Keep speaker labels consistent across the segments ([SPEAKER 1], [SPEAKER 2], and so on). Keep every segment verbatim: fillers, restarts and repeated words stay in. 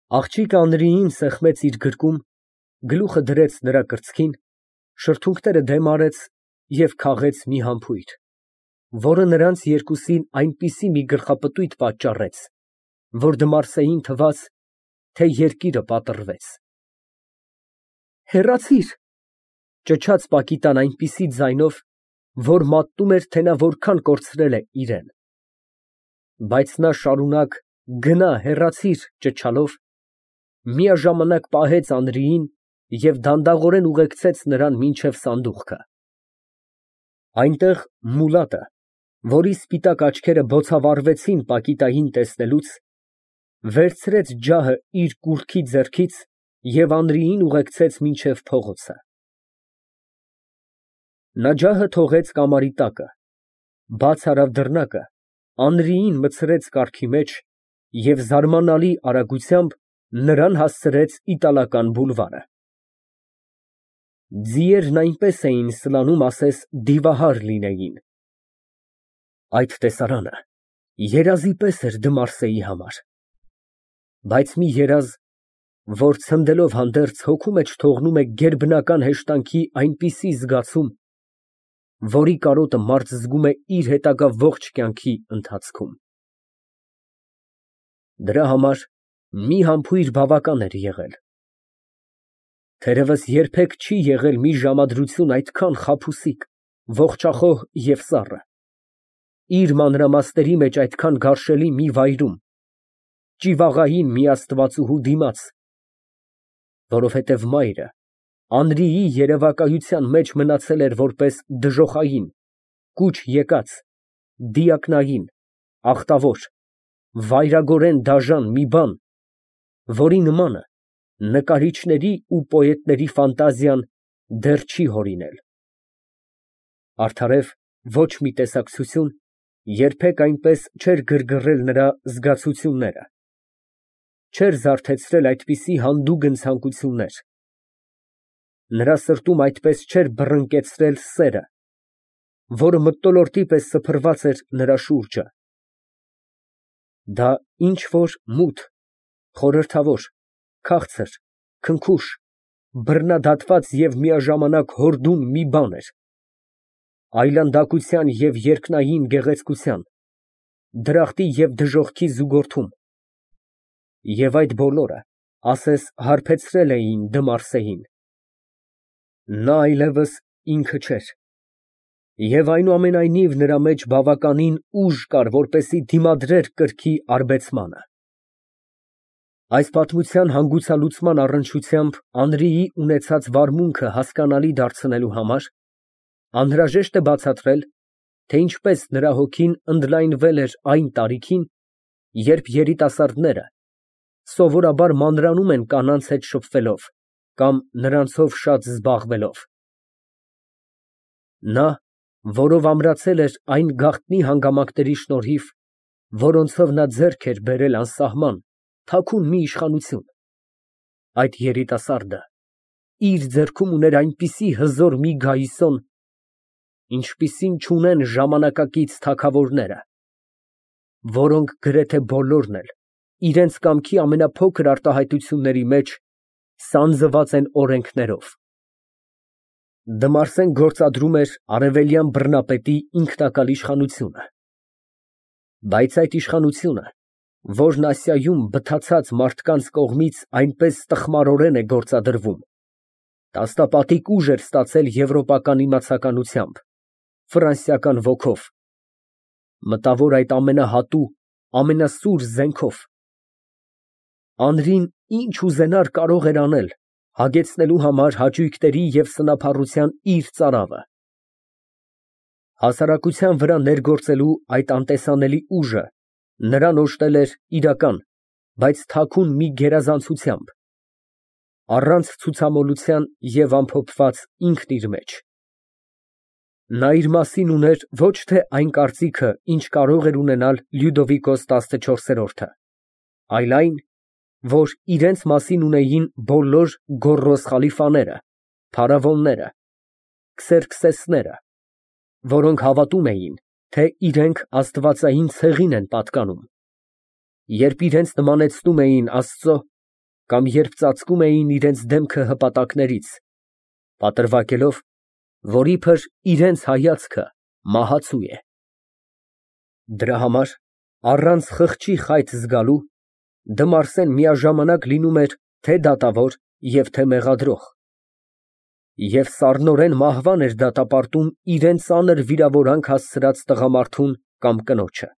[SPEAKER 1] Աղջիկը Անրիին սեղմեց իր գրկում, գլուխը դրեց նրա կրծքին, շրթունքները դեմ արեց և քաղեց մի համբույր, որը նրանց երկուսին այնպիսի մի գլխապտույտ պատճառեց, որ Դմարսեին թվաց, թե երկիրը պատռվեց։ «Հեռացիր», ճչաց Պակիտան այնպիսի ձայնով, որ մատնում էր, թե նա որքան կորցրել է իրեն։ Բայց նա շարունակ «գնա, հեռացիր» ճչալով, միաժամանակ պահեց Անրիին և դանդաղորեն ուղեկցեց նրան մինչև սանդուղքը։ Այնտեղ Մուլատը, որի սպիտակ աչքերը բոցավառվեցին Պակիտային տեսնելուց, վերցրեց ջահը իր կուռքի ձեռքից և Անրիին ուղեկցեց մինչև փողոցը։ Նա ջահը թողեց կամարի տակը, բաց արավ դռնակը, Անրիին մտցրեց կառքի մեջ և զարմանալի արագությամբ նրան հասցրեց իտալական բուլվարը։ Ձիերն այնպես էին սլանում, ասես դիվահար լինեին։ Այդ տեսարանը երազի պես էր Դմարսեի համար, բայց մի երազ, որ ցնդելով հանդերձ հոգու մեջ թողնում է գերբնական հեշտանքի այնպիսի զգացում, որի կարոտը մարդ զգում է իր հետագա ողջ կյանքի ընթացքում։ Դրա համար մի համբույր բավական էր եղել։ Թերևս երբեք չի եղել մի ժամադրություն այդքան խաբուսիկ, ողջախոհ և սառը, իր մանրամասների մեջ այդքան գարշելի մի վայրում, ճիվաղային մի աստվածուհու դիմաց, որովհետև մայրը Անրիի երևակայության մեջ մնացել էր որպես դժոխային, կուչ եկած, դիակնային, ախտավոր, վայրագորեն դաժան մի բան, որի նմանը նկարիչների ու պոետների ֆանտազիան դեռ չի հորինել։ Արդարև ոչ մի տեսակցություն երբեք այնպես չէր գրգռել նրա զգացությունները, չէր զարթեցրել այդպիսի հանդուգն ցանկություններ, նրա սրտում այդպես չէր բռնկեցրել սերը, որը մթնոլորտի պես սփռված էր նրա շուրջը։ Դա ինչ֊որ մութ, խորհրդավոր, քաղցր, քնքուշ, բռնադատված և միաժամանակ հորդուն մի բան էր, այլանդակության և երկնային գեղեցկության, դրախտի և դժոխքի զուգորդում, և այդ բոլորը ասես հարբեցրել էին Դմարսեին։ Նա այլևս ինքը չէր, և այնուամենայնիվ նրա մեջ բավականին ուժ կար, որպեսզի դիմադրեր կրքի արբեցմանը։ Այս պատմության հանգուցալուծման առնչությամբ Անրիի ունեցած վարմունքը հասկանալի դարձնելու համար անհրաժեշտ է բացատրել, թե ինչպես նրա հոգին ընդլայնվել էր այն տարիքին, երբ երիտասարդները սովորաբար մանրանում են կանանց հետ շփվելով կամ նրանցով շատ զբաղվելով։ Նա, որով ամրացել էր այն գաղտնի հանգամանքների շնորհիվ, որոնցով նա ձեռք էր բերել անսահման, թաքուն մի իշխանություն, այդ երիտասարդը իր ձեռքում ուներ այնպիսի հզոր մի գայիսոն, ինչպիսին չունեն ժամանակակից թագավորները, որոնք գրեթե բոլորն էլ իրենց կամքի ամենափոքր արտահայտությունների մեջ սանձված են օրենքներով։ Դմարսեն գործադրում էր արևելյան բռնապետի ինքնակալ իշխանությունը, բայց այդ իշխանությունը, որն Ասիայում բթացած մարդկանց կողմից այնպես տխմարորեն է գործադրվում, տասնապատիկ ուժ էր ստացել եվրոպական իմացականությամբ, ֆրանսիական ոգով, մտավոր այդ ամենահատու, ամենասուր զենքով։ Անրին ինչ ուզենար կարող էր անել հագեցնելու համար հաճույքների և սնափառության իր ծարավը։ Հասարակության վրա ներգործելու այդ անտեսանելի ուժը նրան օժտել էր իրական, բայց թաքուն մի գերազանցությամբ, առանց ցուցամոլության և ամփոփված ինքն իր մեջ։ Նա իր մասին ուներ ոչ թե այն կարծիքը, ինչ կարող էր ունենալ Լյուդովիկոս տասնչորսերորդը, այլ այն, որ իրենց մասին ունեին բոլոր գոռոզ խալիֆաները, փարավոնները, Քսերքսեսները, որոնք հավատում էին, թե իրենք աստվածային ցեղին են պատկանում, երբ իրենց նմանեցնում էին Աստծո, կամ երբ ծածկում էին իրենց դեմքը հպատակներից, պատրվակելով, որ իբր իրենց հայացքը մահացու է։ Դրա համար, առանց խղճի խայծ զգալու, Դմարսեն միաժամանակ լինում էր թե դատավոր և թե մեղադրող, և սառնորեն մահվան էր դատապարտում իրան ծանր վիրավորանք հասցրած տղամարդուն կամ կնոջը։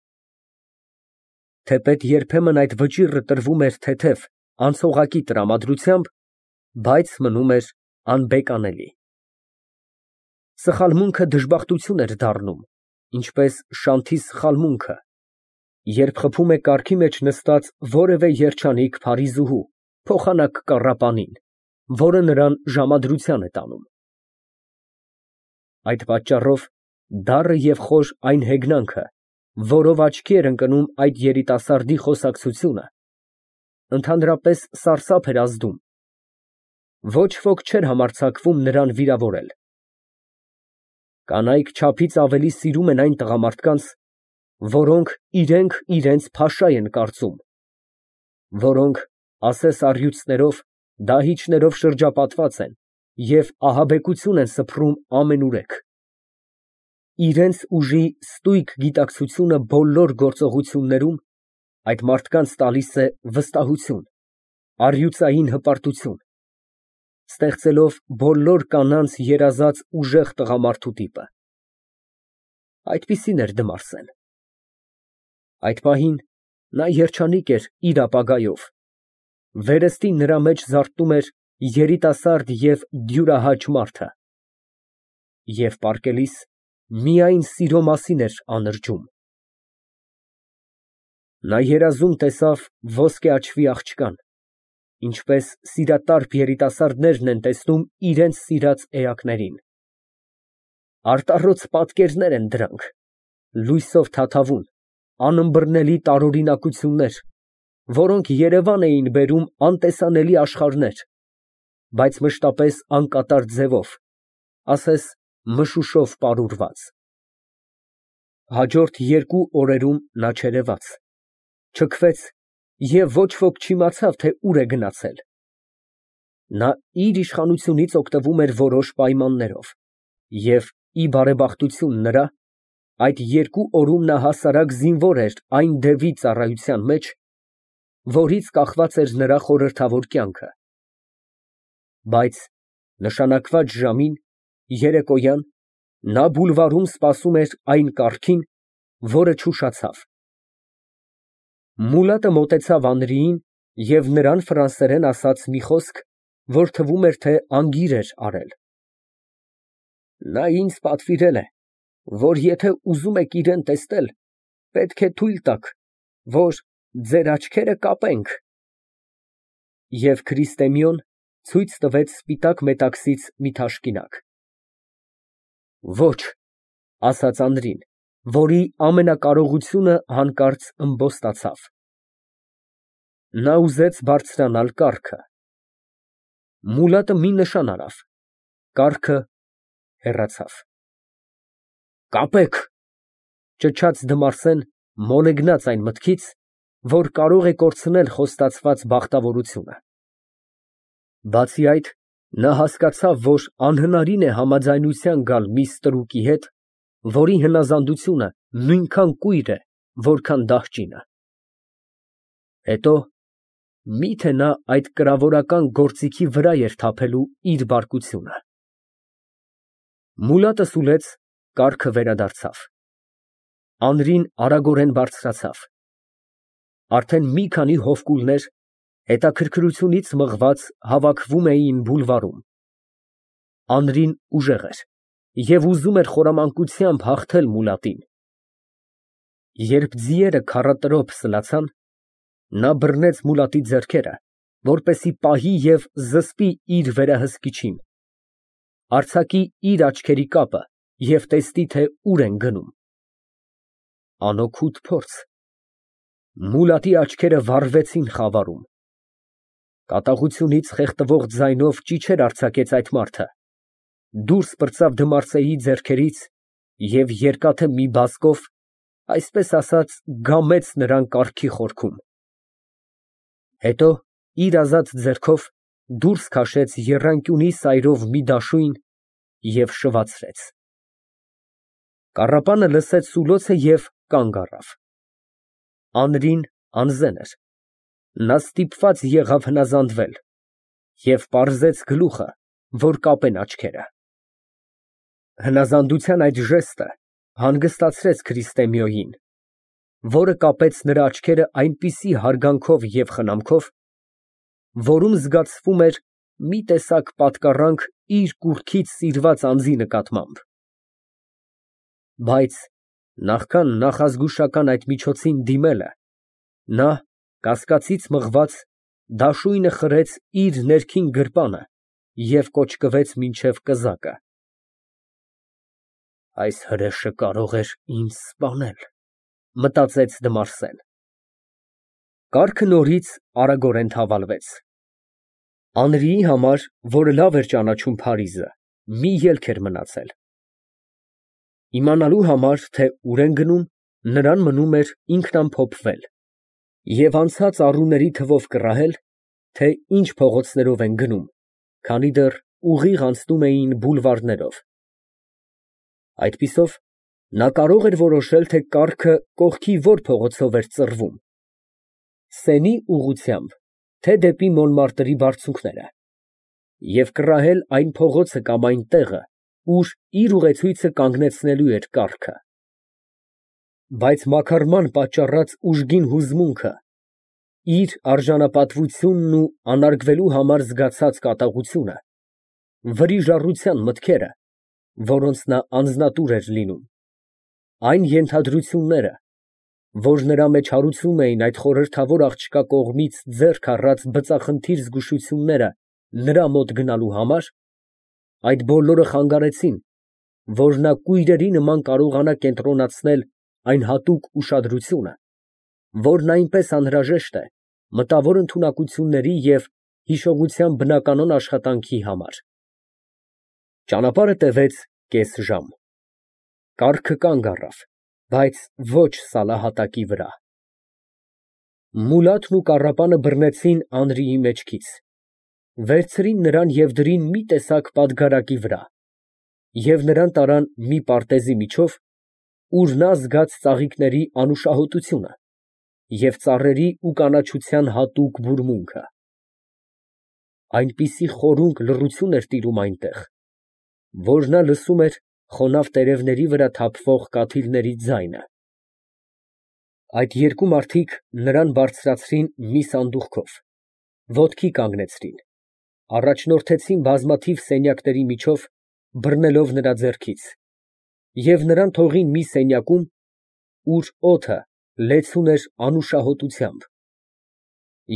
[SPEAKER 1] Թեպետ երբեմն այդ վճիռը տրվում էր թեթև, անցողակի տրամադրությամբ, բայց մնում էր անբեկանելի։ Սխալմունքը դժբախտություն էր դառնում, ինչպես շանթի սխալմունքը, երբ խփում է կառքի մեջ նստած որևէ երջանիկ փարիզուհու, փոխանակ կառապանին, որը նրան ժամադրության է տանում։ Այդ պատճառով դառը և խոր այն հեգնանքը, որով աչքի էր ընկնում այդ երիտասարդի խոսակցությունը, ընդհանրապես սարսափ էր ազդում, ոչ ոք չէր համարձակվում նրան վիրավորել։ Կանայք չափից ավելի սիրում են այն տղամարդկանց, որոնք իրենք իրենց փաշա են կարծում, որոնք ասես առյուծներով, դահիճներով շրջապատված են և ահաբեկություն են սփռում ամենուրեք։ Իրենց ուժի ստույգ գիտակցությունը բոլոր գործողություններում այդ մարդկանց տալիս է վստահություն, առյուծային հպարտություն, ստեղծելով բոլոր կանանց երազած ուժեղ տղամարդու տիպը։ Այդպիսին էր Դմարսեն։ Այդ պահին նա երջանիկ էր իր ապագայով, վերստին նրա մեջ զարթնում էր երիտասարդ և դյուրահաճ մարդը, և պառկելիս միայն սիրո մասին էր անրջում։ Նա երազում տեսավ ոսկե աչքի աղջկան, ինչպես սիրատարբ երիտասարդներն են տեսնում իրենց սիրած էակներին։ Արտառոց պատկերներ են դրանք, լույսով թաթավուն, անըմբռնելի տարօրինակություններ, որոնք երևան էին բերում անտեսանելի աշխարհներ, բայց մշտապես անկատար ձևով, ասես մշուշով պարուրված։ Հաջորդ երկու օրերում նա չերևաց, չքվեց և ոչ ոք չիմացավ, թե ուր է գնացել։ Նա իր իշխանությունից օգտվում էր որոշ պայմաններով, և, ի բարեբախտություն նրա, այդ երկու օրում նա հասարակ զինվոր էր այն դևի ծառայության մեջ, որից կախված էր նրա խորհրդավոր կյանքը։ Բայց նշանակված ժամին, երեկոյան, նա բուլվարում սպասում էր այն կառքին, որը չուշացավ։ Մուլատը մոտեցավ Անրիին և նրան ֆրանսերեն ասաց մի խոսք, որ թվում էր, թե անգիր էր արել։ Նա ինձ պատվիրել է, որ եթե ուզում եք իրան տեսնել, պետք է թույլ տաք, որ ձեր աչքերը կապենք։ Եվ Քրիստեմիոն ցույց տվեց սպիտակ մետաքսից մի թաշկինակ։ Ոչ, ասաց Անրին, որի ամենակարողությունը հանկարծ ըմբոստացավ։ Նա ուզեց բարձրանալ կառքը։ Մուլատը մի նշան արավ, կառքը հեռացավ։ Կապեք, ճչաց Դմարսեն, մոլեգնած այն մտքից, որ կարող է կորցնել խոստացված բախտավորությունը։ Բացի այդ, նա հասկացավ, որ անհնարին է համաձայնության գալ մի ստրուկի հետ, որի հնազանդությունը նույնքան կույր է, որքան դահճինը։ Հետո, մի՞թե նա այդ կրավորական գործիքի վրա էր թափելու իր բարկությունը։ Մուլատը սուլեց, կառքը վերադարձավ։ Անրին արագորեն բարձրացավ։ Արդեն մի քանի հովկուլներ, հետաքրքրությունից մղված, հավաքվում էին բուլվարում։ Անրին ուժեղ էր և ուզում էր խորամանկությամբ հաղթել Մուլատին։ Երբ ձիերը քառատրոփ սլացան, նա բռնեց Մուլատի ձեռքերը, որպեսզի պահի և զսպի իր վերահսկիչին, արձակի իր աչքերի կապը և տեսնի, թե ուր են գնում։ Անօգուտ փորձ։ Մուլատի աչքերը վառվեցին խավարում։ Կատաղությունից խեղդվող ձայնով ճիչեր արձակեց այդ մարդը, դուրս պրծավ Դմարսեի ձեռքերից և երկաթե մի բազկով, այսպես ասած, գամեց նրան կառքի խորքում։ Հետո, իր ազատ ձեռքով դուրս քաշեց եռանկյունի սայրով մի դաշույն և շվացրեց։ Կառապանը լսեց սուլոցը և կանգ առավ։ Անրին անզեն էր, նա ստիպված եղավ հնազանդվել և պարզեց գլուխը, որ կապեն աչքերը։ Հնազանդության այդ ժեստը հանգստացրեց Քրիստեմիոյին, որը կապեց նրա աչքերը այնպիսի հարգանքով և խնամքով, որում զգացվում էր մի տեսակ պատկառանք իր կուռքից սիրված անձի նկատմամբ։ Բայց նախքան նախազգուշական այդ միջոցին դիմելը, նա, կասկածից մղված, դաշույնը խրեց իր ներքին գրպանը և կոճկվեց մինչև կզակը։ «Այս հրեշը կարող էր ինձ սպանել», մտածեց Դմարսեն։ Կառքը նորից արագորեն թավալվեց։ Անրիի համար, որը լավ էր ճանաչում Փարիզը, մի ելք էր մնացել։ Իմանալու համար, թե ուր են գնում, նրան մնում էր ինքնամփոփվել և անցած առուների թվով կռահել, թե ինչ փողոցներով են գնում, քանի դեռ ուղիղ անցնում էին բուլվարներով։ Այդպիսով նա կարող էր որոշել, թե կառքը կողքի ո՞ր փողոցով էր ծռվում, Սենի ուղղությամբ, թե դեպի Մոնմարտրի բարձունքները, և կռահել այն փողոցը կամ այն տեղը, ուր իր ուղեցույցը կանգնեցնելու էր կառքը։ Բայց մաքարման պատճառած ուժգին հուզմունքը, իր արժանապատվությունն ու անարգվելու համար զգացած կատաղությունը, վրիժառության մտքերը, որոնց նա անձնատուր էր լինում, այն ենթադրությունները, որ նրա մեջ հարուցում էին այդ խորհրդավոր աղջկա կողմից ձեռք առած բծախնդիր զգուշությունները նրա մոտ գնալու համար, այդ բոլորը խանգարեցին, որ նա կույրերի նման կարողանա կենտրոնացնել այն հատուկ ուշադրությունը, որն այնպես անհրաժեշտ է մտավոր ընդունակությունների և հիշողության բնականոն աշխատանքի համար։ Ճանապարհը տևեց կես ժամ։ Կառքը կանգ առավ, բայց ոչ սալահատակի վրա։ Մուլաթն ու կառապանը բռնեցին Անրիի մեջքից, վերցրին նրան և դրին մի տեսակ պատգարակի վրա և նրան տարան մի պարտեզի միջով, ուր նա զգաց ծաղիկների անուշահոտությունը և ծառերի ու կանաչության հատուկ բուրմունքը։ Այնպիսի խորունկ լռություն էր տիրում այնտեղ, որ նա լսում էր խոնավ տերևների վրա թափվող կաթիլների ձայնը։ Այդ երկու մարդիկ նրան բարձրացրին մի սանդուղքով, ոտքի կանգնեցրին, առաջնորդեցին բազմաթիվ սենյակների միջով, բռնելով նրա ձեռքից, և նրան թողին մի սենյակում, ուր օդը լեցուն էր անուշահոտությամբ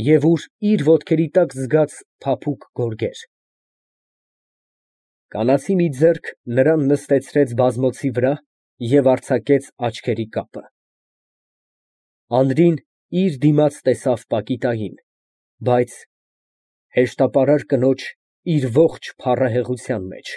[SPEAKER 1] և ուր իր ոտքերի տակ զգաց փափուկ գորգեր։ Կանացի մի ձեռք նրան նստեցրեց բազմոցի վրա և արձակեց աչքերի կապը։ Անրին իր դիմաց տեսավ Պակիտային, բայց հեշտապարար կնոջ իր ողջ փառահեղության մեջ։